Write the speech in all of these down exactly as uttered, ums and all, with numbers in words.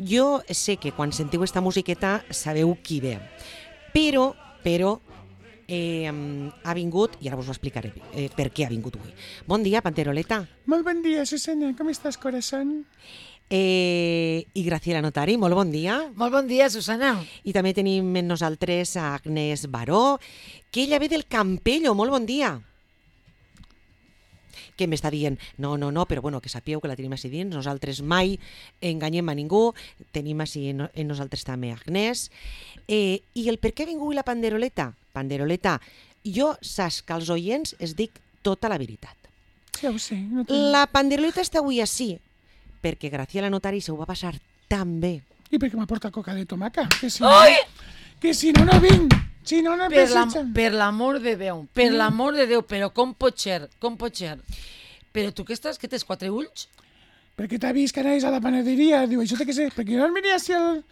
Jo sé que quan sentiu esta musiqueta sabeu qui ve, però, però eh, ha vingut, i ara us ho explicaré eh, per què ha vingut avui. Bon dia, Panteroleta. Molt bon dia, Susana. Com estàs, corazón? Eh, I Graciela Notari, molt bon dia. Molt bon dia, Susana. I també tenim amb nosaltres a Agnès Baró, que ella ve del Campello. Molt bon dia. Que m'està dient, no, no, no, però bueno, que sapigueu que la tenim així dins, nosaltres mai enganyem a ningú, tenim així en nosaltres també Agnès. Eh, I el per què ha vingut la Panderoleta? Panderoleta, jo saps que als oients es dic tota la veritat. Ja ho sé. No tinc... La Panderoleta està avui així, perquè Graciela Notari se ho va passar tan bé. I perquè m'ha portat coca de tomaca, que si no, que si no, no vinc. Si no, no per, la, pensatge. per l'amor de Déu, per mm. l'amor de Déu, però com pot ser, com pot ser? Però tu què estàs, que tens quatre ulls? Perquè t'ha vist que anaves a la panaderia, diu, això té que ser, perquè jo no venia així al...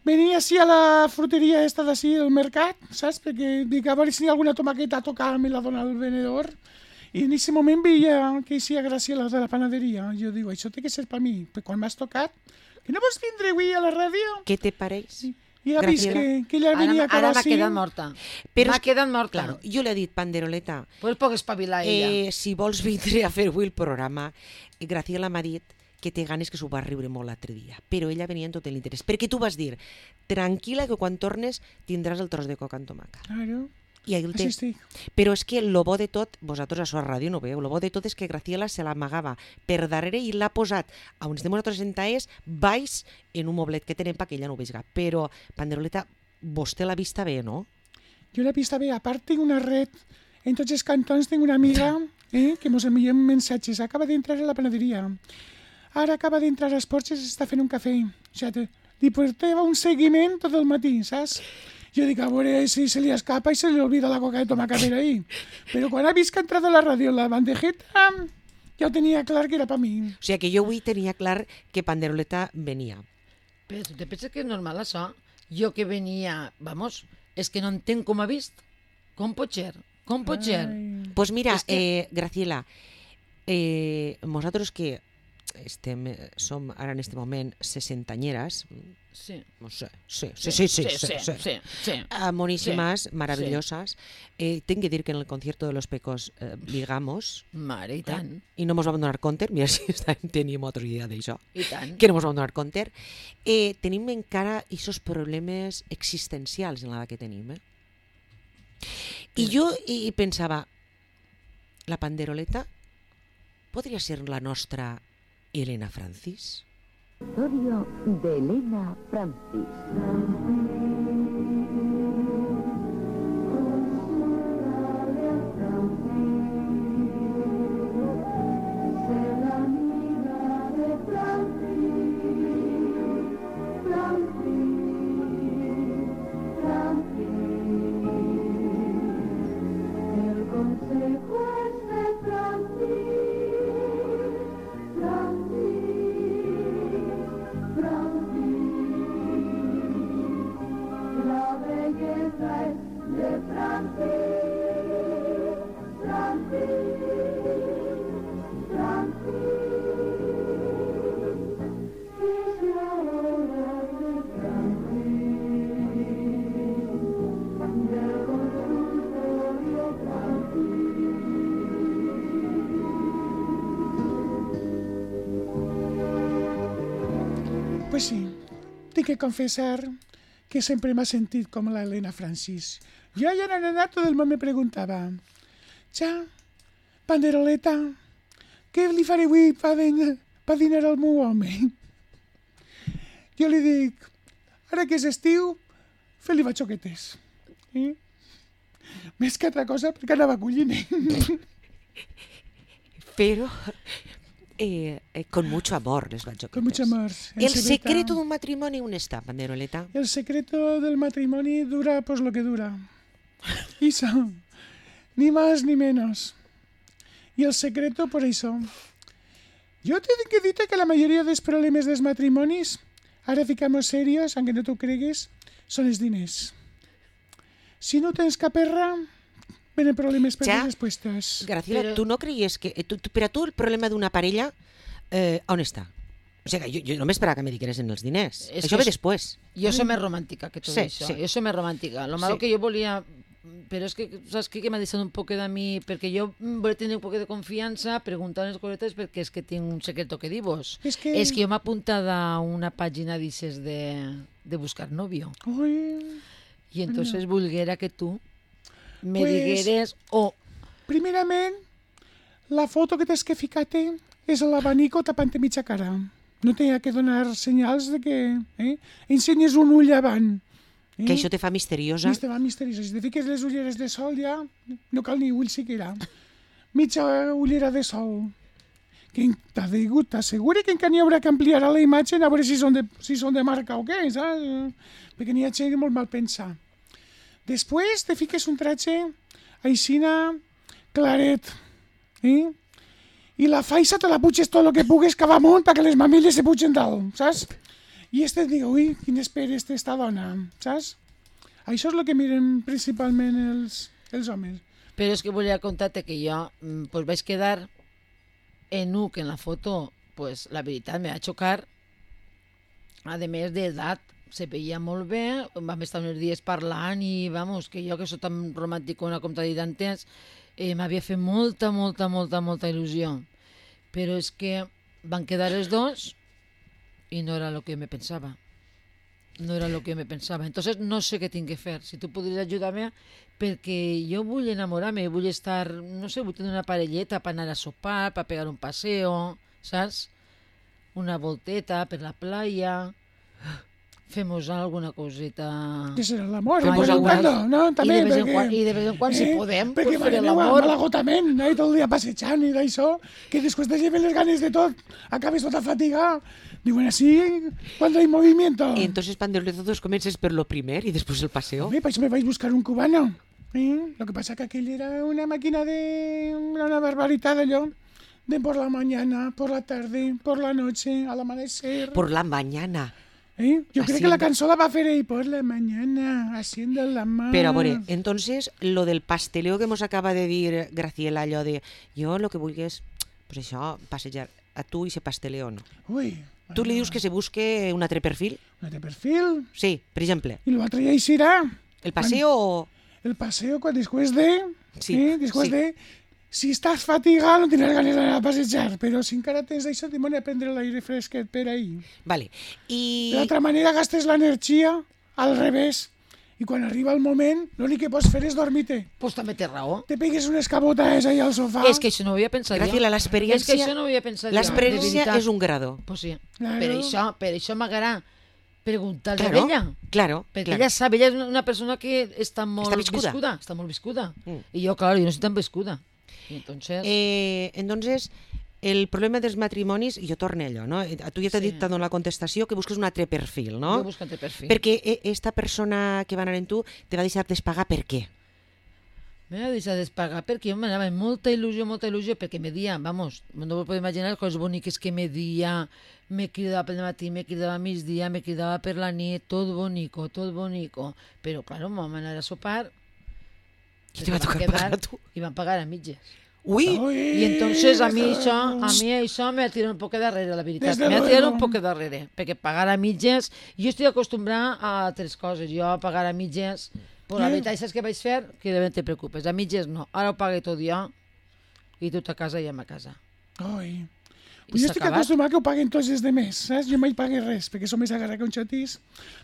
Venia així a la fruteria esta d'ací, al mercat, saps? Perquè dic, a veure si hi ha alguna tomaqueta a tocar, me la dona el venedor. I en aquest moment veia que hi ha Graciela de la panaderia. Jo dic, això té que ser per mi. Però quan m'has tocat, que no vols vindre avui a la ràdio? Què te pareix? Sí. I ha vist que, que ella venia ara, ara m'ha així. quedat morta. Però m'ha quedat morta. Claro, jo li he dit, Panderoleta, pues poc espavilar ella. Eh, si vols vindre a fer avui el programa, Graciela m'ha dit que té ganes, que s'ho va riure molt l'altre dia, però ella venia en tot l'interès. Perquè tu vas dir, tranquil·la que quan tornes tindràs el tros de coca amb tomaca. Claro. I ahí el té. Així estic. Però és que lo bo de tot, vosaltres a la ràdio no veu, lo bo de tot és que Graciela se l'amagava per darrere i l'ha posat a on estem nosaltres sentaes baix en un moblet que tenem perquè ella no ho veiga. Però, Panderoleta, vostè l'ha vista bé, no? Jo l'he vista bé. A part, tinc una red. En tots els cantons tinc una amiga eh, que mos enviem mensatges. Acaba d'entrar a la panaderia. Ara acaba d'entrar a les porxes i està fent un cafè. O sigui, li portava un seguiment tot el matí, saps? Jo dic, a veure si se li escapa i se li olvida la coca de tomaca per ahí. Però quan ha vist que ha entrat a la ràdio la bandejeta, ja ho tenia clar que era per mi. O sigui que jo avui tenia clar que Panderoleta venia. Però tu te penses que és normal això? Jo que venia, vamos, és que no entenc com ha vist. Com pot ser? Com pot ser? Doncs pues mira, que... eh, Graciela, eh, nosaltres que estem, som ara en este moment sessentanyeres, sí. No sé, sí, sí, sí, sí, sí, sí, sí, sí, sí. Uh, monísimas, sí. maravillosas. Eh, tengo que decir que en el concierto de los Pecos eh, ligamos. Mare, i tant. Eh, I no mos vam donar compte, mira si tenim altra idea d'això, I tant. que no mos vam donar compte. Eh, tenim encara aquests problemes existencials en l'edat que tenim. Eh? I jo i, i pensava, la Panderoleta podria ser la nostra Elena Francis? Historia de Elena Francis. Pues sí, tinc que confessar que sempre m'ha sentit com la Elena Francis. Jo ja era nena, tot el món me preguntava, ja, Panderoleta, què li faré avui per pa dinar al meu home? Jo li dic, ara que és estiu, fer-li batxoquetes. Eh? Més que altra cosa, perquè anava collint. Però eh, eh, con mucho amor les batxoquetes. Con mucho amor. El secreto d'un matrimoni on està, Panderoleta? El secreto del matrimoni dura pues lo que dura. Eso. Ni más ni menos. Y el secreto por eso. Yo te tengo que decirte que la mayoría de los problemas de los matrimonios, ahora ficamos serios, aunque no t'ho cregues, són els diners. Si no tens caperra, venen problemes per Ja. les respuestas. Graciela, Però- tu no creies que... Tu, tu, per a tu el problema d'una parella, eh, on està? O sigui, jo, jo no m'esperava que me digueressin els diners. És Això que ve és- després. Jo soy més romàntica que tot Sí, això. sí. Jo soy més romàntica. Lo malo Sí. que jo volia... Però és que, saps què? Que m'ha deixat un poc de mi... Perquè jo mm, volia tenir un poc de confiança, preguntar unes cosetes, perquè és que tinc un secreto que dir-vos. És que... És que jo m'he apuntat a una pàgina d'aixes de, de buscar novio. Ui, I entonces volguera que tu me Pues- digueres... O primerament, la foto que tens que ficar-te és l'abanico tapant-te mitja cara. No t'hi ha que donar senyals de que... Eh? Ensenyes un ull avant. Eh? Que això te fa misteriosa. Viste, va misteriosa. Si te fiques les ulleres de sol ja no cal ni ull siquiera. Mitja ullera de sol. Que t'ha digut, t'asseguri que encara n'hi haurà que ampliar a la imatge a veure si són de, si són de marca o què, saps? Perquè n'hi ha gent molt mal pensar. Després te fiques un tratge aixina claret. Eh? I la faixa te la puges tot el que pugues cap amunt perquè les mamelles se pugen dalt, saps? I este et diu, ui, quin esperes esta dona, saps? Això és el que miren principalment els, els homes. Però és que volia contar-te que jo mm, pues vaig quedar en un que en la foto, pues la veritat me va xocar, a més d'edat, se veia molt bé, vam estar uns dies parlant i, vamos, que jo que soc tan romànticona com t'ha dit antes, eh, m'havia fet molta, molta, molta, molta il·lusió. Però és que van quedar els dos i no era el que me pensava. No era el que me pensava. Entonces no sé què tinc que fer. Si tu podries ajudar-me, perquè jo vull enamorar-me, vull estar, no sé, vull tenir una parelleta per anar a sopar, per pegar un paseo, saps? Una volteta per la playa, femos alguna coseta... Que serà l'amor, Ai, de vez en igual. cuando, no? També, I de vez en perquè... quan, i de vez en quan si podem, perquè pues, fer m'aneu l'amor. amb l'agotament, eh, tot el dia passejant i d'això, que després te lleven les ganes de tot, acabes tota fatiga. Diuen així, cuando hay movimiento. Y entonces, Panderoleta, todos comiences por lo primer y después el paseo. Hombre, pues me vais a buscar un cubano. ¿Eh? Lo que pasa que aquel era una máquina de... una barbaridad de yo. De por la mañana, por la tarde, por la noche, al amanecer. Por la mañana. ¿Eh? Yo creo que Haciendo- la canción la va a hacer ahí por la mañana, haciendo la mano. Pero, a ver, entonces, lo del pasteleo que nos acaba de decir Graciela, allò de jo lo que vulgui és, pues això, passejar. A tu i se pasteleo no. Uy. Tu li dius que se busque un altre perfil? Un altre perfil. Sí, per exemple. Y l'altre ja hi serà. El paseo o... El paseo cuando después de... Sí, ¿eh? Después sí. de... Si estàs fatigado no tindràs ganes d'anar a passejar, però si encara tens d'això, t'hi a prendre l'aire fresquet per ahí. Vale. I... De l'altra manera gastes l'energia al revés. I quan arriba el moment, l'únic que pots fer és dormir-te. Pues també té raó. Te pegues unes cabotades ahí al sofà. És que això no ho havia pensat Graciela, jo. l'experiència... És que això no ho havia pensat jo. L'experiència de veritat. és un grado. Pues sí. Claro. Per això, per això m'agrada preguntar-li Claro, a ella. claro, Perquè claro. ella sap, ella és una, una persona que està molt Està viscuda. Està molt viscuda. Mm. I jo, claro, jo no soy tan viscuda. I entonces... Eh, entonces, el problema dels matrimonis, jo torno a allò, no? A tu ja t'ha Sí. dit, t'ha donat la contestació, que busques un altre perfil, no? Jo buscant el perfil. Perquè eh, esta persona que va anar en tu te va deixar despagar per què? Me va deixar despagar perquè jo m'anava amb molta il·lusió, molta il·lusió, perquè me dia, vamos, no ho puc imaginar les coses boniques que me dia, me cridava pel matí, me cridava a migdia, me cridava per la nit, tot bonico, tot bonico. Però, claro, vam anar a sopar, Qui te va van tocar quedar pagar a tu? i van pagar a mitges. Ui! Ui, I entonces a mi des de- això, a mi això me ha tirat un poc darrere, la veritat. Desde Me ha tirat luego. un poc darrere, perquè pagar a mitges... Jo estic acostumbrada a altres coses. Jo a pagar a mitges... Però la Eh? veritat, saps què vaig fer? Que de ben te preocupes. A mitges no. Ara ho pague tot jo i tu a casa i a ma casa. Ui. I Pues jo s'ha estic acabat. acostumat que ho paguen tots els demés, saps? Jo mai pagué res, perquè som més agarrat que un xatís.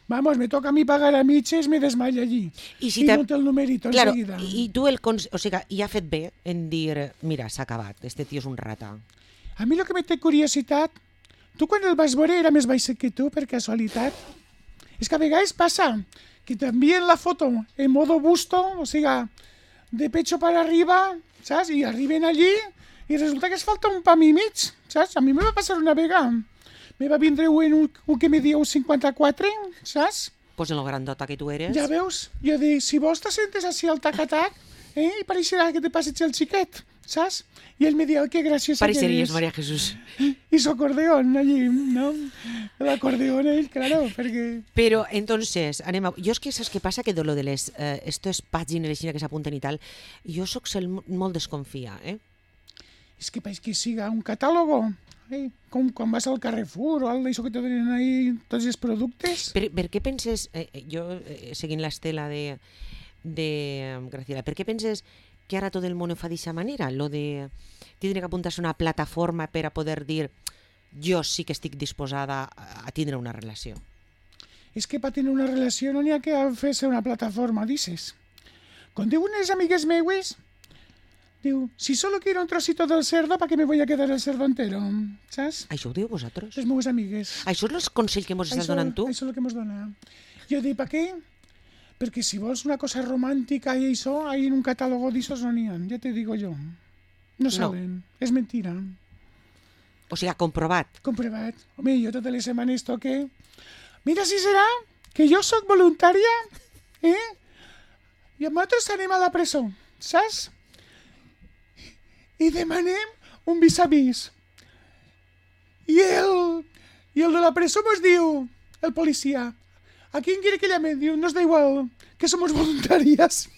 Vamos, me toca a mi pagar a mitges, me desmaia allí. I si I te- no té el numerito Claro, enseguida. i tu el... Cons... O sigui, i ha fet bé en dir, mira, s'ha acabat, este tio és un rata. A mi el que me té curiositat, tu quan el vas veure era més baix que tu, per casualitat. És que a vegades passa que t'envien la foto en modo busto, o sigui, de pecho para arriba, saps? I arriben allí i resulta que es falta un pam i mig, saps? A mi me va passar una vegada. Me va vindre un, un, un que me dia un cinquanta-quatre, saps? Pues en lo grandota que tu eres... Ja veus? Jo dic, si vols te sentes així al tac-a-tac, eh? I pareixerà que te passeig el xiquet, ¿sabes? Y él me dijo, qué graciosa que Pareceries, eres. María Jesús. Y su acordeón allí, ¿no? El acordeón ahí, claro, perquè... Però, entonces, anem a... Jo és que saps què passa? Que de lo de les eh, estes pàgines així que s'apunten i tal, jo soc cel molt desconfia, eh? És que pareix que siga un catàlogo, eh? Com quan vas al Carrefour o algo d'això que te donen ahí tots els productes. Per, per què penses, eh, jo eh, seguint l'estela de, de eh, Graciela, per què penses que ara tot el món ho fa d'aquesta manera? Lo de tindre que apuntar-se a una plataforma per a poder dir jo sí que estic disposada a, a tindre una relació. És que per tenir una relació no n'hi ha que fer-se una plataforma, dices. Com diuen les amigues meues, diu, si solo quiero un trocito del cerdo, ¿para qué me voy a quedar el cerdo entero? ¿Saps? Això ho diu vosaltres? Les meves amigues. Això és el consell que mos estàs Això- donant tu? Això és el que mos dona. Jo dic, per què? Perquè si vols una cosa romàntica i això, ahí en un catàlogo d'aixòs no n'hi ha, ja te digo jo. No salen, és mentira. O sigui, comprovat. Comprovat. Home, jo totes les setmanes toque... Mira si serà que jo sóc voluntària, eh? I nosaltres anem a la presó, saps? I demanem un vis-a-vis. I el, I el de la presó mos diu, el policia, ¿a quién quiere que llame? Diu, nos da igual, que somos voluntarias.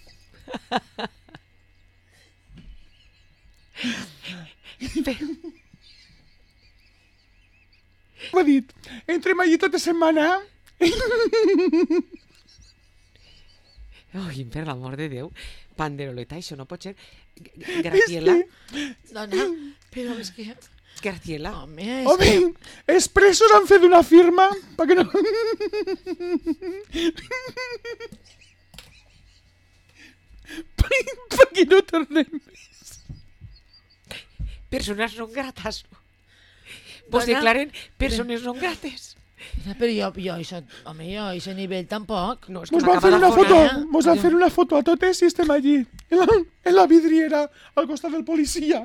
M'ha dit, entrem allí tota setmana. Ai, per l'amor de Déu, Panderoleta, això no pot ser... G- Graciela, Dona, però és que... Graciela, Home, és Home, que... els presos han fet una firma perquè no... perquè no tornem. persones non gratas. Pues Dona, declaren persones non grates. Però jo, jo, això, home, jo, a aquest nivell tampoc. No, és que Mos van m'acaba fer de una fonar. foto, eh? mos van fer una foto a totes i estem allí, en la, en la vidriera, al costat del policia.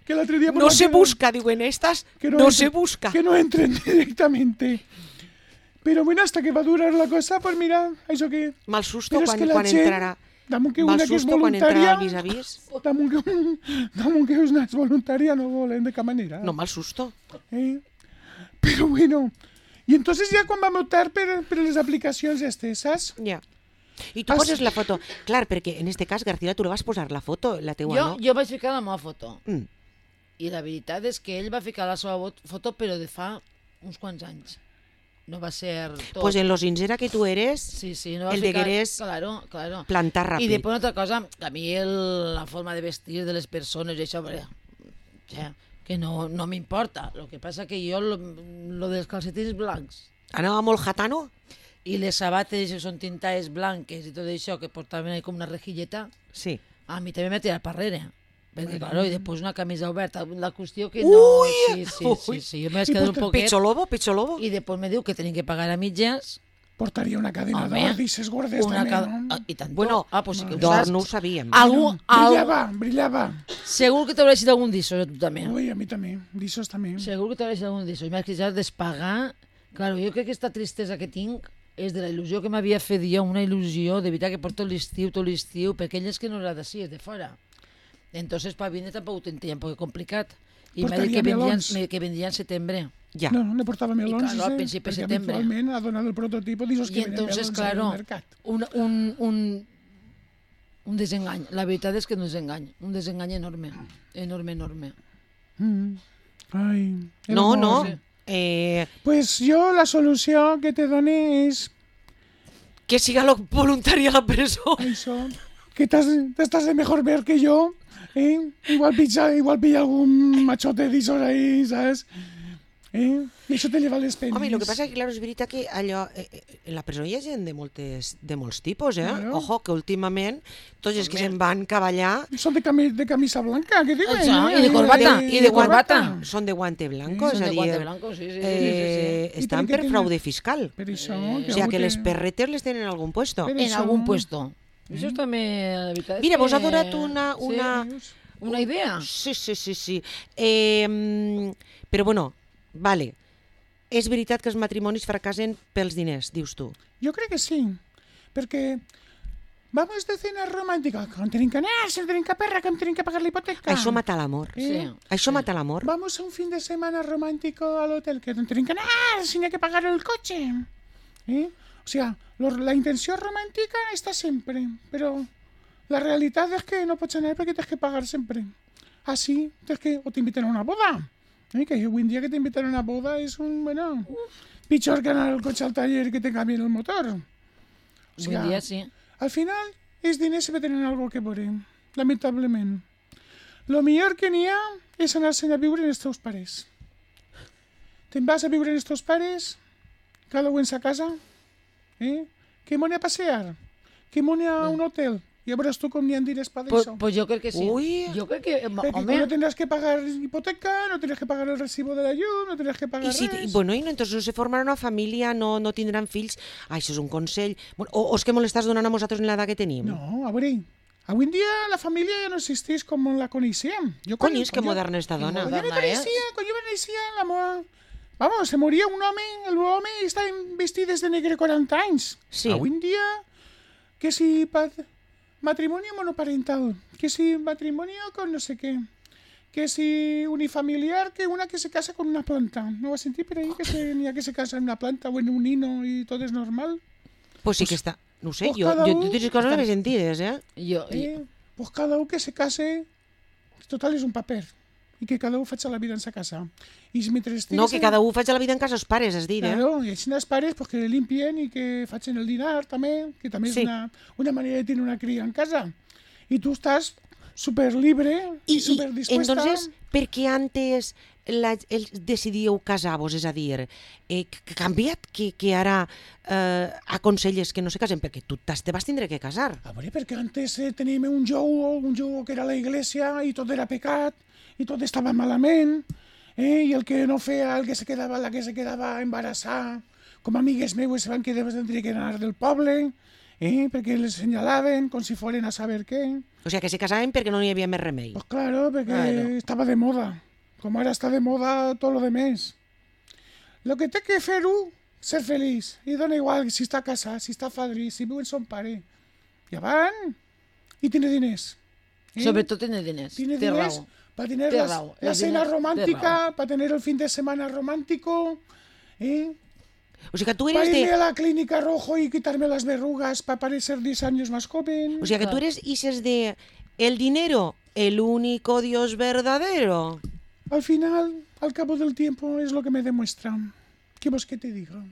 Que l'altre dia... mos No van se fer- busca, diuen estas, que no entren- se busca. Que no entren directamente. Pero bueno, hasta que va a durar la cosa, pues mira, això que... Mal susto Però és quan, que la quan gent- entrarà. Damunt que Mal una que és susto quan entrarà voluntària... al vis-a-vis. Damunt que, damunt que una és voluntària no volen de cap manera. No, mal susto. Eh? Pero bueno... I entonces ja quan vam optar per, per les aplicacions estes, saps? Ja. I tu Ah, poses sí. la foto. Clar, perquè en este cas, García, tu le vas posar la foto, la teua, Jo, no? jo vaig ficar la meva foto. Mm. I la veritat és que ell va ficar la seva vot- foto, però de fa uns quants anys. No va ser tot. Pues en los insera que tu eres, Sí, sí, no va el ficar... degueres Claro, claro. plantar I ràpid. després una altra cosa, que a mi el, la forma de vestir de les persones i això, bé, ja, que no, no m'importa. El que passa que jo, lo, lo dels calcetins blancs Anava molt jatano? i les sabates que són tintades blanques i tot això, que portaven ahí com una rejilleta, Sí. a mi també m'ha tirat per darrere. Perquè, claro, i després una camisa oberta. La qüestió que no... Ui! Sí, sí, sí, sí. Jo m'he I quedat un pues, poquet... Pecho lobo, pecho lobo. I després me diu que tenim que pagar a mitges. Portaria una cadena Home, d'or, dices gordes Una també, ca... no? ah, I tant. Bueno, ah, pues sí que ho d'or saps. no ho sabíem. Algú, algú, Brillava, brillava. segur que t'hauràs dit algun d'això, tu també. Ui, a mi també, d'aixòs també. Segur que t'hauràs dit algun d'això. I m'has queixat despagar. Claro, jo crec que aquesta tristesa que tinc és de la il·lusió que m'havia fet jo, una il·lusió, de veritat que porto l'estiu, tot l'estiu, perquè ell és que no era d'ací, és de fora. Entonces, para vine tampoc ho tenia un poc complicat. I m'ha dit Portaria que vendria, melons. que vendria en setembre. Ja. No, no portava melons, claro, al ese, principi de perquè setembre. habitualment ha donat el prototipo d'aixòs que I venen entonces, melons claro, al mercat. un, un, un, un desengany. La veritat és que un desengany. Un desengany enorme. Enorme, enorme. Mm. Ai, el No, amor. no. sí. Eh, Pues jo la solució que te done és que siga lo voluntari a la presó. això, que t'has t'estàs de mejor ver que jo, eh? Igual pilla, igual pilla algun machote d'aixòs ahí, saps? Eh? I això te lleva les penes. Home, i el que passa és que, clar, és veritat que allò, eh, eh, en la presó hi ha gent de, moltes, de molts tipus, eh? Claro. Ojo, que últimament tots els que se'n van cavallar Són de, cami de camisa blanca, què diuen? Això, eh? i de corbata, i de corbata. són de guante blanco, Són és a de dir, guante blanco, sí, sí, sí, eh, sí, sí. I estan per què per tenen- fraude fiscal. Per això, O sigui, que les perretes les tenen en algun puesto. Per En això- algun puesto. Això també, la veritat és Mira, que... vos ha donat una... una... Sí, una idea. Sí, sí, sí, sí. Eh, mm, però bueno, vale. És veritat que els matrimonis fracassen pels diners, dius tu. Jo crec que sí, perquè vamos de cena romàntica. Que em tenim que anar, si no tenim que perra, que em tenim que pagar la hipoteca. Això mata l'amor. Eh? Sí. Això sí. mata l'amor. Vamos a un fin de semana romántico al hotel, que no tienen que nada, sin hay que pagar el coche. ¿Eh? O sea, lo- la intención romántica está siempre, pero la realidad es que no puedes tener porque tienes que pagar siempre. Así, tienes que, o te invitan a una boda. ¿Eh? Que hoy en día que te invitan a una boda es un, bueno, pichor que anar el coche al taller y que te cambien el motor. O Buen dia, sí. al final, els diners sempre tenen algo que veure, lamentablement. Lo millor que n'hi ha és anar-se'n a viure en els teus pares. Te'n vas a viure en els teus pares, cada un en sa casa, eh? Que m'ho a passear, que m'ho a un hotel, i a veuràs tu com n'hi ha diners per Pues, això. pues yo creo que sí. Uy. Yo creo que, eh, Perquè home, no tendrás que pagar hipoteca, no tendrás que pagar el recibo de la llum, no tendrás que pagar I si, res. bueno, i no, entonces no se formarà una família, no, no tindran fills. Ah, això és un consell. Bueno, o, o és que me l'estàs donant a nosaltres en l'edat que tenim? No, a veure, avui en dia la família ja no existeix com la coneixíem. Jo Cony, quan- és que quan jo- moderna esta dona. Cuando yo me Moderna, ¿eh? conocía, cuando yo me conocía, la moda... Vamos, se moría un home, el home està vestit des de negre quaranta anys. Sí. Avui en dia, que si pa- matrimonio monoparental, que si matrimonio con no sé qué, que si unifamiliar, que una que se casa con una planta. ¿No vas a sentir por ahí que se, ni a que se casa en una planta o en un nino y todo es normal? Pues sí que està... No ho sé, pues jo, cada jo un totes les coses les he sentides, eh? yo, Eh, pues cada un que se case, total és un paper. I que cada un faci la vida en sa casa. I si mentre estigues No, que en- cada un faig la vida en casa els pares, has dit, eh? Claro, y així els pares pues, que limpien i que facin el dinar també, que també Sí. és una, una manera de tenir una cria en casa. I tu estàs super libre i, I, super i dispuesta. entonces, per què antes la, el, decidíeu casar-vos? És a dir, eh, que ha canviat que, que ara eh, aconselles que no se casen? Perquè tu t'has- te vas tindre que casar. A veure, perquè antes eh, teníem un jou, un jou que era la iglesia i tot era pecat i tot estava malament, eh? I el que no feia, el que se quedava, la que se quedava embarassada, com amigues meues se van que tindre que anar del poble, eh? Perquè les senyalaven com si foren a saber què. O sigui, que se casaven perquè no hi havia més remei. Pues claro, porque Claro. estaba de moda. Como ahora está de moda todo lo demás. Lo que té que fer u, ser feliç. I dona igual si està casat, si està fadrí, si viu en son pare. I van i tiene diners. Eh? sobre todo tiene diners. Tiene Té diners raó. para tener Té las- raó, la el cena diner té romántica, para tener el fin de semana romántico, ¿eh? O sigui, que tu para eres irme de... a la clínica rojo y quitarme las verrugas para parecer diez años más joven. O sigui, que tu eres ises de... El dinero, el único Dios verdadero. Al final, al cabo del tiempo, es lo que me demuestra. ¿Qué vos que te diga?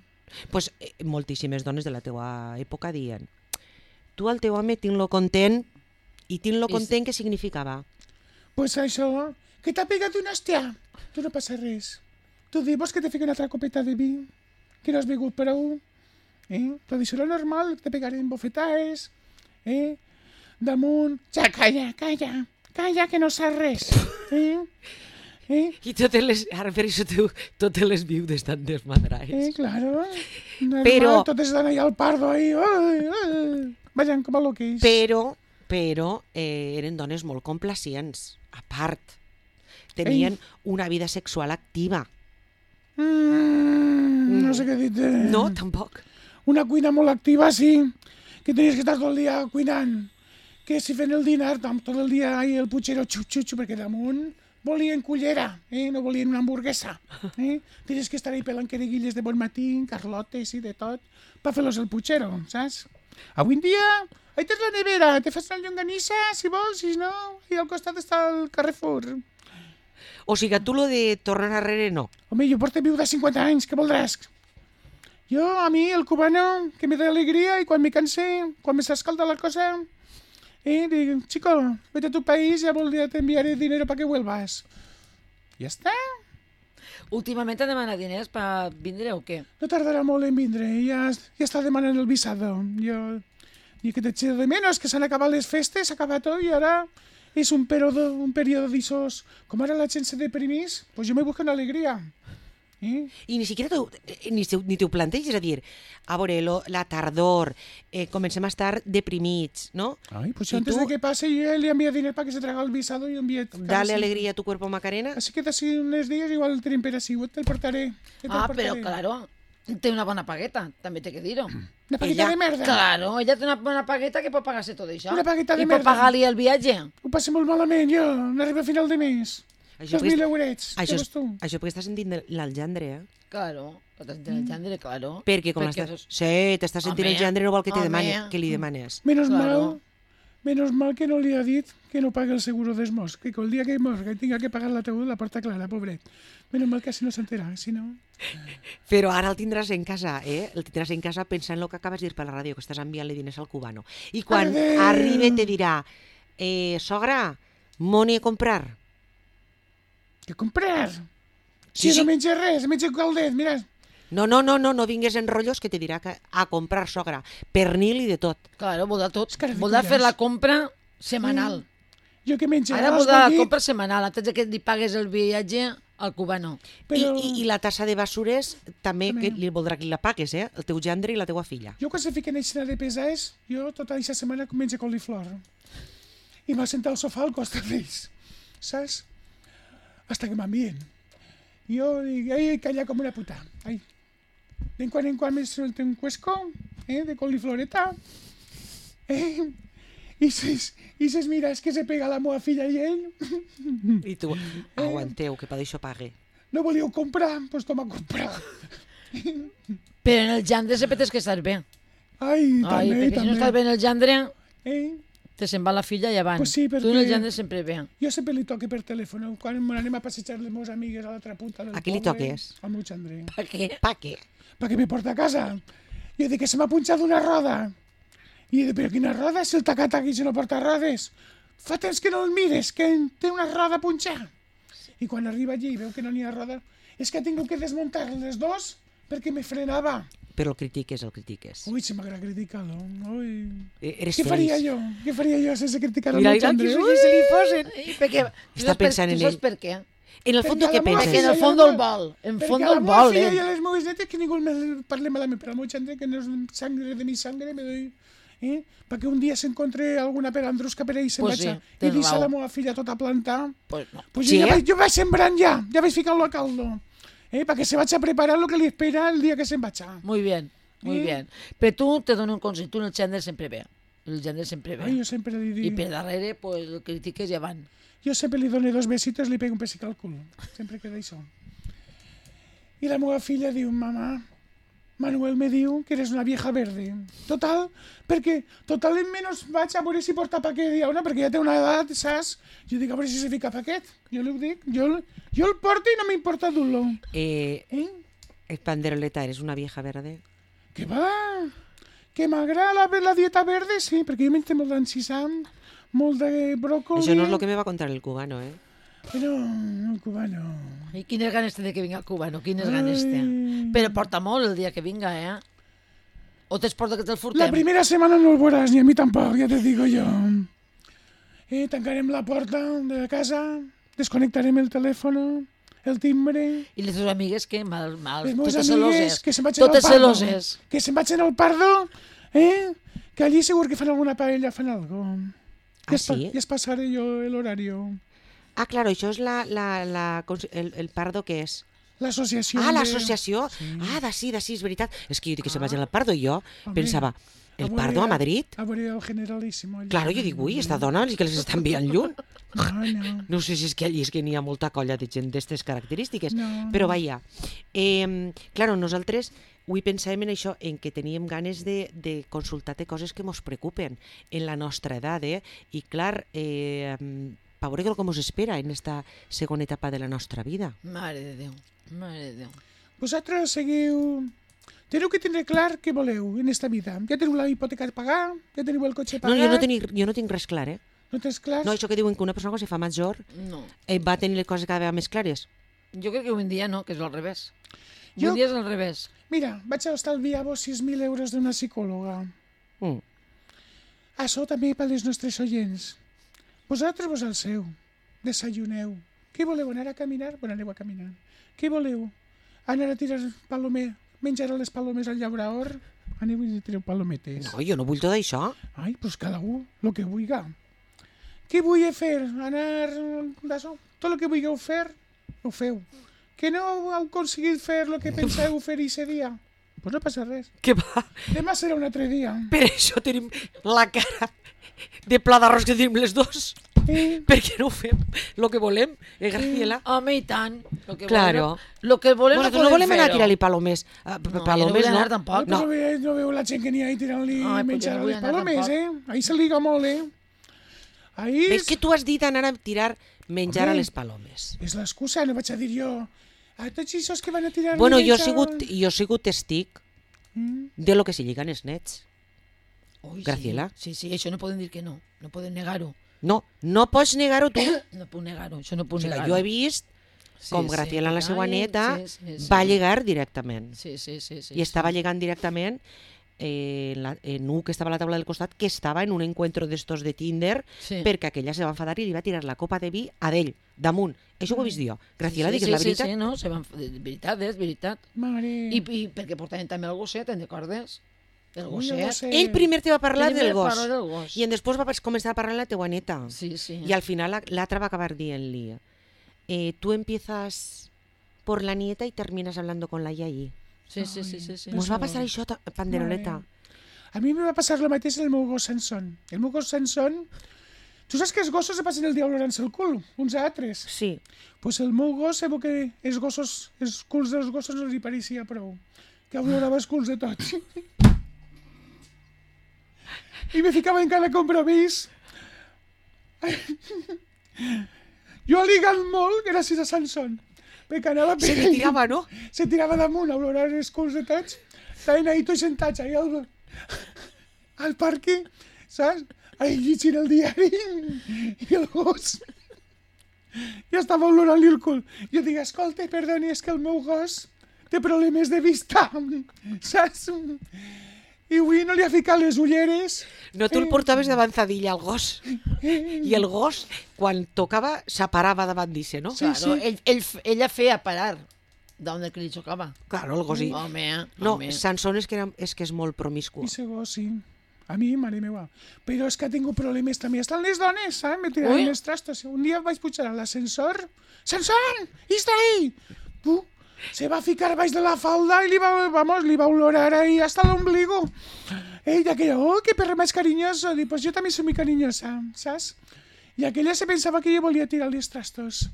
Pues eh, moltíssimes dones de la teua època diuen tu al teu home tinc-lo content i tinc-lo I content què significava? Pues això, que t'ha pegat una hòstia. Tu no passa res. Tu di, vols que te fiqui una altra copeta de vi? Que no has begut prou? Eh? Però d'això lo normal, te pegarem bofetades, eh? Damunt... Ja, calla, calla, calla, que no saps res. Eh? Eh? I totes les... Ara per això tu, totes les viudes estan Eh, desmadrades. claro. Normal, Però- totes estan ahí al pardo, ahí. Ai, ai. Vayan com a loquis. Però, però eh, eren dones molt complacients, a part. Tenien una vida sexual activa. Mm, no sé què dir-te. No, tampoc. Una cuina molt activa, sí, que tenies que estar tot el dia cuinant. Que si fent el dinar, tam- tot el dia ahí el puchero xup-xup, perquè damunt volien cullera, eh? No volien una hamburguesa. Eh? Tenies que estar ahí pelant quereguilles de bon matí, carlotes i de tot, per fer-los el puchero, saps? Avui en dia, ahí tens la nevera, te fas una llonganissa, si vols, si no, i al costat està el Carrefour. O sigui, tu lo de tornar arrere no. Home, jo porto viuda cinquanta anys, què voldràs? Jo, a mi, el cubano, que me da alegría, y quan me canse, quan me s'escalda la cosa, eh, digo, chico, vete a tu país, ya vol- te enviaré dinero para que vuelvas. Ja està. Últimament han demanat diners per vindre o què? No tardarà molt en vindre, ja, ja està demanant el visado. Jo, i que t'echo de menos, que s'han acabat les festes, s'ha acabat tot, i ara és un període, un període d'ixos. Com ara la gent se deprimís, pues jo me busco una alegria. Eh? I ni siquiera t'ho- eh, ni, te- ni t'ho planteges, a dir, a veure, lo, la tardor, eh, comencem a estar deprimits, no? Ay, pues ¿Y antes tú? de que pase, yo le envío dinero para que se traga el visado y envíe... Dale alegría a tu cuerpo, Macarena. Así que así unos días igual el tren per así, te el portaré. te el Ah, portaré. però claro, té una bona pagueta, també té que dir-ho. Una pagueta Ella- de merda. Claro, ella té una bona pagueta que pot pagar-se tot això. Una pagueta de I pot merda. pagar-li el viatge. Ho passo molt malament, jo. No arribo a final de mes. Això Dos mil perquè, eurets. això, Què és, vols tu? això perquè estàs sentint el gendre, eh? Claro, el gendre, claro. Perquè com Perquè l'estàs... és- Sí, t'estàs sentint Home, el gendre, no vol que, te home. demane, que li demanes. Menos Claro. mal, menos mal que no li ha dit que no pague el seguro d'esmos, que el dia que morga i tinga que pagar la taüt la porta clara, pobret. Menos mal que així no s'entera, si no... Però ara el tindràs en casa, eh? El tindràs en casa pensant en el que acabes de dir per la ràdio, que estàs enviant-li diners al cubano. I quan Adéu. arribi te dirà, eh, sogra, moni a comprar. Que comprar? Sí, Si sí. no menja res, menja caldet, mira. No, no, no, no, no vingues en rotllos que te dirà que a comprar sogra. Pernil i de tot. Claro, voldrà tot. És que ara Voldrà ficaràs. fer la compra setmanal. Jo que menja Ara arròs voldrà la bullit, compra setmanal, antes de que li pagues el viatge al cubano. però I, i, I la tassa de basures també, També. que li voldrà que la pagues, eh? El teu gendre i la teua filla. jo quan se fiquen a de pesades, jo tota aquesta setmana menja coliflor. I m'ha sentat al sofà al costat d'ells, saps? Hasta que m'envien. Jo dic, ai, calla com una puta. Ai. De quan en quan me suelta un cuesco, eh, de colifloreta. Eh? I ses, i ses mires que se pega la meva filla i ell. I tu, aguanteu, que per això pague. No volíeu comprar? Doncs pues toma a comprar. Però en el gendre sempre tens que estar bé. Ai, Ai, també, perquè si no estàs també. bé en el gendre, Eh? te se'n va la filla i avant. Pues sí, Tu en perquè- el gendre sempre bé. Jo sempre li toque per telèfon. Quan anem a passejar les meves amigues a l'altra punta del A qui li poble, toques? Al meu xandrer. Per què? Pa què? Perquè me porta a casa. Jo dic que se m'ha punxat una roda. I dic, però quina roda? Si el tacat aquí se no porta rodes. Fa temps que no el mires, que té una roda punxada. I quan arriba allí i veu que no n'hi ha roda, és que ha tingut que desmuntar les dos perquè me frenava. Però el critiques, el critiques. Ui, se m'agrada criticar-lo. Ui. Eh, Eres Què faria feliç. jo? Què faria jo sense criticar el Mira, meu mira, xandrer? que Ui! se li posen. I perquè, Està saps per- pensant en tu saps ell. per què? En el Perquè fons, a què la meva Perquè en penses? filla el i fons a la del meva- vol. En Perquè fons a la del meva vol, filla i eh? a les meves netes que ningú me parle malament, però al meu xandrer, que no és sangre de mi sangre, me doy... Eh? Perquè un dia s'encontre alguna pelandrusca per ell i se'n Pues vaig sí, a... I tens deixa raó. la meva filla tota plantar. Pues no. Pues Sí, jo, ja eh? vaig, jo vaig sembrant ja, ja vaig ficant-lo a caldo. Eh? Perquè se vaig a preparar el que li espera el dia que se'n vaig a... Muy bien, muy Sí. bien. Però tu te dono un consell, tu en el gendre sempre bé. El gendre sempre bé. Ai, jo sempre li I dic... per darrere, pues, el critiques i avant. Jo sempre li dono dos besitos i li pego un pessic al cul. Sempre queda això. I la meva filla diu, mamà, Manuel me diu que eres una vieja verde. Total, perquè total en menys vaig a veure si porta paquet i una, perquè ja té una edat, saps? Jo dic, a veure si se fica paquet. Jo li ho dic, jo, el- jo el porto i no m'importa dur-lo. Eh, Eh? eh, Panderoleta, eres una vieja verde? Que va? Que m'agrada la, la dieta verde? Sí, perquè jo menjo molt d'encisam, molt de bròcoli... Això no és el que me va contar el cubano, eh? Però el cubano... I quines ganes té de que vinga el cubano, quines ganes té. Ai. Però porta molt el dia que vinga, eh? O t'exporta que te'l furtem? La primera setmana no el veuràs, ni a mi tampoc, ja te digo jo. Eh, tancarem la porta de la casa, desconnectarem el telèfon, el timbre... I les teves amigues que mal, mal, Les meves totes amigues celoses. que se'n vagin al Totes Pardo. celoses. Que se'n vagin al Pardo, eh? Que allí segur que fan alguna paella, fan algo. Ah, Ja es pa- sí? Ja es passaré jo el horario. Ah, claro, això és la, la, la, cons- el, el pardo que és? L'associació... Ah, de- l'associació. Ah, de sí, de sí, és veritat. És que jo dic que se vagi al pardo i jo Home, pensava, el veure- pardo a Madrid? A veure el generalíssimo. allà. Claro, jo dic, ui, esta dona sí que les està enviant lluny. No, no. No sé si és que allí és que n'hi ha molta colla de gent d'aquestes característiques, No, però no. vaja. Eh, claro, nosaltres avui pensàvem en això, en que teníem ganes de, de consultar-te coses que ens preocupen en la nostra edat, eh? I clar, eh, per veure què ens espera en esta segona etapa de la nostra vida. Mare de Déu, mare de Déu. Vosaltres seguiu... Teniu que tindre clar què voleu en esta vida. Ja teniu la hipoteca a pagar, ja teniu el cotxe No, pagat... jo no, tinc, jo no tinc res clar, eh? No tens clar? No, això que diuen que una persona quan se fa major No. eh, va tenir les coses cada vegada més clares. Jo crec que avui en dia no, que és al revés. Jo- Jo... Avui en dia és al revés. Mira, vaig a estalviar-vos sis mil euros d'una psicòloga. Mm. Això també per les nostres oients. Vosaltres vos al seu. Desayuneu. Què voleu, anar a caminar? Bueno, aneu a caminar. Què voleu? Anar a tirar palomer, menjar a les palomes al llaurador? Aneu i tireu palometes. No, jo no vull tot això. Ai, pues cada un, el que vulgui. Què vull fer? Anar d'això? Tot el que vulgueu fer, ho feu. Que no heu aconseguit fer el que penseu fer aquest dia? Pues no passa res. Que va, Demà serà un altre dia. per això tenim la cara de pla d'arròs que tenim les dos. Eh? Perquè no fem el que volem, eh, Graciela? Home, i tant. Lo que Claro. Volem, lo que volem Nosaltres no no volem anar a fer-ho. tirar-li palomes. Uh, No, jo no palomes, vull anar no. tampoc. No. No. No, veu, no veu la gent que n'hi ha ahí tirant-li Ai, pues menjar jo no a vull les anar palomes, tampoc. eh? Ahí se liga molt, eh? Ahí Ves que tu has dit anar a tirar menjar Home. a les palomes. és l'excusa, no vaig a dir jo. A tots aquests que van a tirar Bueno, jo he menjar... sigut, jo he sigut testic Mm. de lo que se lliguen els nets. Ui, Graciela. Sí, sí, sí, això no poden dir que no. No poden negar-ho. No, no pots negar-ho tu. No puc negar-ho, això no O puc sigui, negar-ho. jo he vist Sí, com sí. Graciela, la seva Ai, neta, sí, sí, sí. va lligar directament. Sí, sí, sí. sí I estava sí. lligant directament eh, en, la, en un que estava a la taula del costat, que estava en un encuentro d'estos de Tinder, Sí. perquè aquella se va enfadar i li va tirar la copa de vi a d'ell, damunt. Això ho he vist jo. Graciela, sí, digues sí, la sí, veritat. Sí, no, se van... de veritat, és veritat. Mare... I, i perquè portaven també el gosset, te'n recordes? El Ui, el gosset. gosset. Ell primer te va parlar Primer del gos, parla del gos. i en després va pas- començar a parlar de la teua neta. Sí, sí. Y al final la- l'altra va acabar dient-li eh, tú empiezas por la nieta y terminas hablando con la yayi. Sí, sí, sí, sí, sí. Mos va passar això, ta- Panderoleta. A mi em va passar el mateix el meu gos Sansón. El meu gos Sansón... Tu saps que els gossos se passen el dia olorant-se el cul, uns a altres? Sí. Pues el meu gos, sabeu que els gossos, els culs dels gossos no li pareixia prou. Que olorava els culs de tots. I me ficava en cada compromís. Jo ligant molt gràcies a Sansón. Perquè anava per Se li tirava, no? se tirava damunt a olorar els culs de tots. Estaven ahí tots sentats, ahí al, al parque, saps? Ahí llegint el diari. I el gos... Ja estava olorant-li el cul. Jo dic, escolta, perdoni, és que el meu gos té problemes de vista, saps? I avui no li ha ficat les ulleres. No, tu el portaves d'avanzadilla al gos. I el gos, quan tocava, s'aparava davant d'isse, no? Sí, Claro, sí. ell, ell, ella feia parar d'on que li xocava. Claro, el gos. I... Home, No, home. Sansón és que, era, és que és molt promiscu. I ese gos, sí. A mi, mare meva. Però és que ha tingut problemes també. Estan les dones, saps? Me tiraven Ui. els trastos. Un dia vaig pujar a l'ascensor. Sansón, està ahí! Uh, se va ficar baix de la falda i li va, vamos, li va olorar ahí hasta l'ombligo. Ella aquella, oh, que perro més carinyoso. Dic, pues jo també soy muy cariñosa, saps? I aquella se pensava que jo volia tirar els trastos.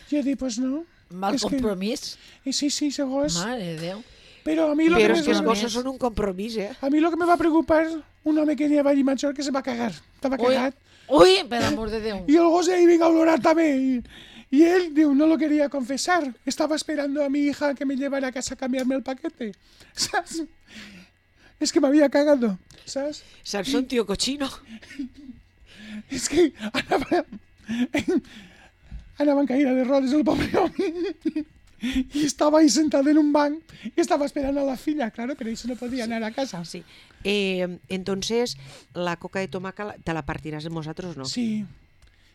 Jo dic, pues no. Mal és que- compromís. Eh, sí, sí, ese gos. Mare de Déu. Però a mi lo Però que és que els me... gossos són un compromís, eh? A mi lo que me va preocupar, un home que anava allí major que se va cagar. Estava Ui, cagat. ui, per amor de Déu. Y el gos ahí venga a olorar también. Y, y él digo, no lo quería confesar. Estaba esperando a mi hija que me llevara a casa a cambiarme el paquete. ¿Sabes? Es que me había cagado. ¿Sabes? Sansón, tío cochino. Es que anava, anava en caída de rodes el pobre home. Y estaba ahí sentado en un banc y estaba esperando a la filla. Claro, pero eso no podía anar a casa. Sí. Eh, entonces, la coca de tomaca la- te la partiràs amb nosaltres, no? Sí,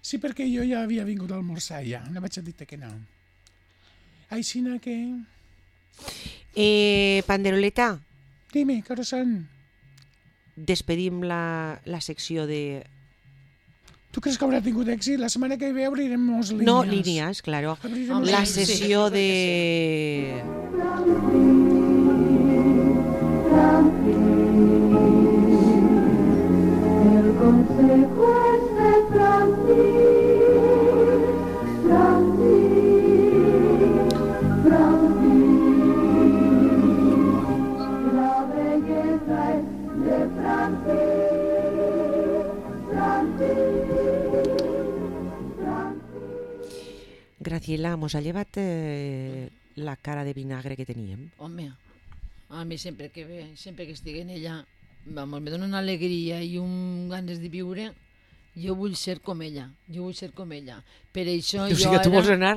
sí, perquè jo ja havia vingut a almorzar ja. No vaig a dir que no. Aixina que... Eh, Panderoleta, Dime, què hores són? despedim la, la secció de... Tu creus que haurà tingut èxit? La setmana que ve obrirem molts línies. No, línies, claro. Obrirem Home, La sí, sessió sí, de... El consejo es de Francis, Francis, Francis. La belleza es de Francis, Francis, Francis. Graciela, mos ha llevat eh, la cara de vinagre que teníem. Home, a mi sempre que ve, sempre que estigui en ella, vamos, me dona una alegria i un ganes de viure. Jo vull ser com ella, jo vull ser com ella. Per això O jo sigui que tu ara... vols anar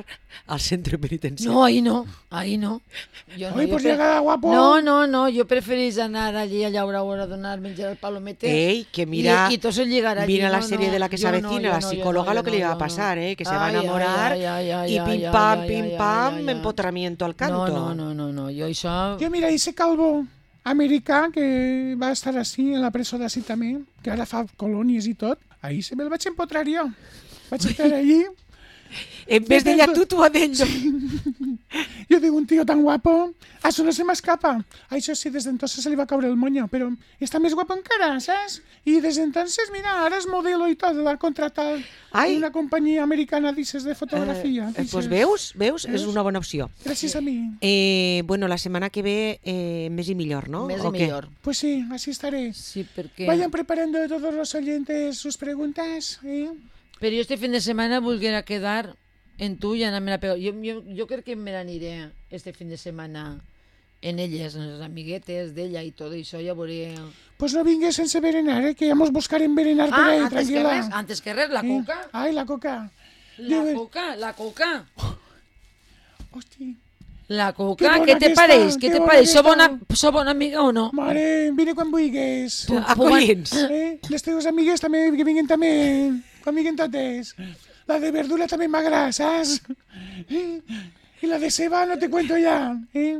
al centre penitenciari. No, ahí no, ahí no. Jo Oi, jo pues pre- llega guapo. No, no, no, jo preferís anar allí a llaure hora a donar menjar al palomete. Ei, que mira, I, i tot el llegar allí. mira la no, serie no, de la que se jo no, avecina, jo la no, jo psicóloga, no, lo jo que no, le va a jo pasar, no. eh, que se va a Ai, ai, enamorar ai, ai, ai, y ai, pim ai, pam, ai, pim ai, pam, ai, ai. empotramiento al canto. No, no, no, no, no, jo això... Jo, mira, ese calvo americà que va estar així en la presó d'ací també, que ara fa colònies i tot, ahí se me'l vaig empotrar jo. Vaig estar allí En vez d'ella, tu, tu a d'ell. Yo digo, un tío tan guapo, a eso no se me escapa. A eso sí, desde entonces se le va a caber el moño, pero está más guapo encara, ¿sabes? Y desde entonces, mira, ahora es modelo y todo, la han contratado Ai. en una compañía americana, dices, de fotografía. Eh, eh, pues dices. veus, veus, és Veus? una bona opció. Gràcies a mi. Eh, bueno, la setmana que ve eh, més i millor, no? Més O i què? millor. Pues sí, así estaré. Sí, perquè... Vayan preparando todos los oyentes sus preguntas, ¿eh? Però jo este fin de setmana volguera quedar en tu i anar-me a pegar. Jo, jo, jo crec que me n'aniré este fin de setmana en elles, en les amiguetes d'ella i tot això, ja veuré... Pues no vingues sense berenar, ¿eh? Que ya nos buscarem berenar por Ah, ahí, antes que tranquila. res, antes que res, la ¿Eh? coca. Ay, la coca. La Dime. coca, la coca. Hòstia. La Que coca, bona què te aquesta, pareix? que Què te bona pareix? Sou aquesta. bona, sou bona amiga o no? Mare, vine quan vulguis. Acollins. Eh? Les teves amigues també, que vinguin també. Quan vinguin totes. La de verdura també m'agrada, saps? Eh? I la de ceba no te cuento ya. Eh?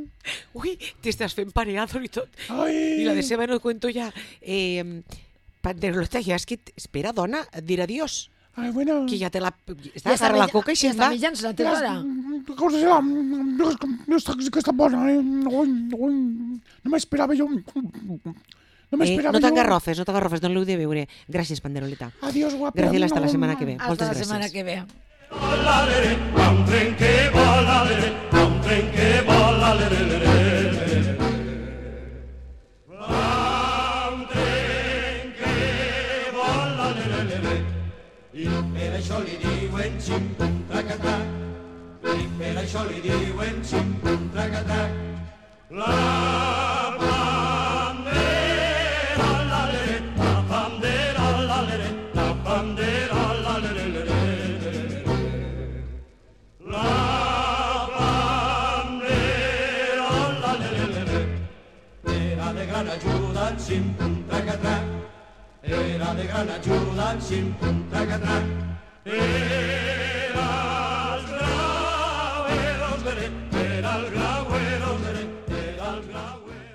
Ui, t'estàs fent pareado i tot. Ai. I la de ceba no cuento ya. Eh, Panderoleta, ja és que... Espera, dona, dir adiós. Ai, bueno. Que ja te la... Ja Està agarra la coca i ja se'n està va. menjant, se la té ara. Cosa serà? No està, que està bona, eh? Ui, ui. No m'esperava jo. No Eh, m'esperava no jo. t'engarrofes, no t'engarrofes, no l'heu de veure. Gràcies, Panderoleta. Adiós, guapa. Gràcies, hasta la setmana que ve. Hasta Moltes la gràcies. setmana que ve. Volalere, va un tren que vola, lere, va un tren que vola, lere, lere, lere. Va un tren que vola, lere, lere. I per això li diuen xim-pum tracatrac. I per això li diuen xim-pum tracatrac. La bandera, la lere, la bandera, la lere, la bandera, la lere, lere. La bandera, la lere, lere, era de gran ayuda al xim-pum tracatrac, era de gran ayuda al xim-pum tracatrac, era el grau, era el grau, era el grau,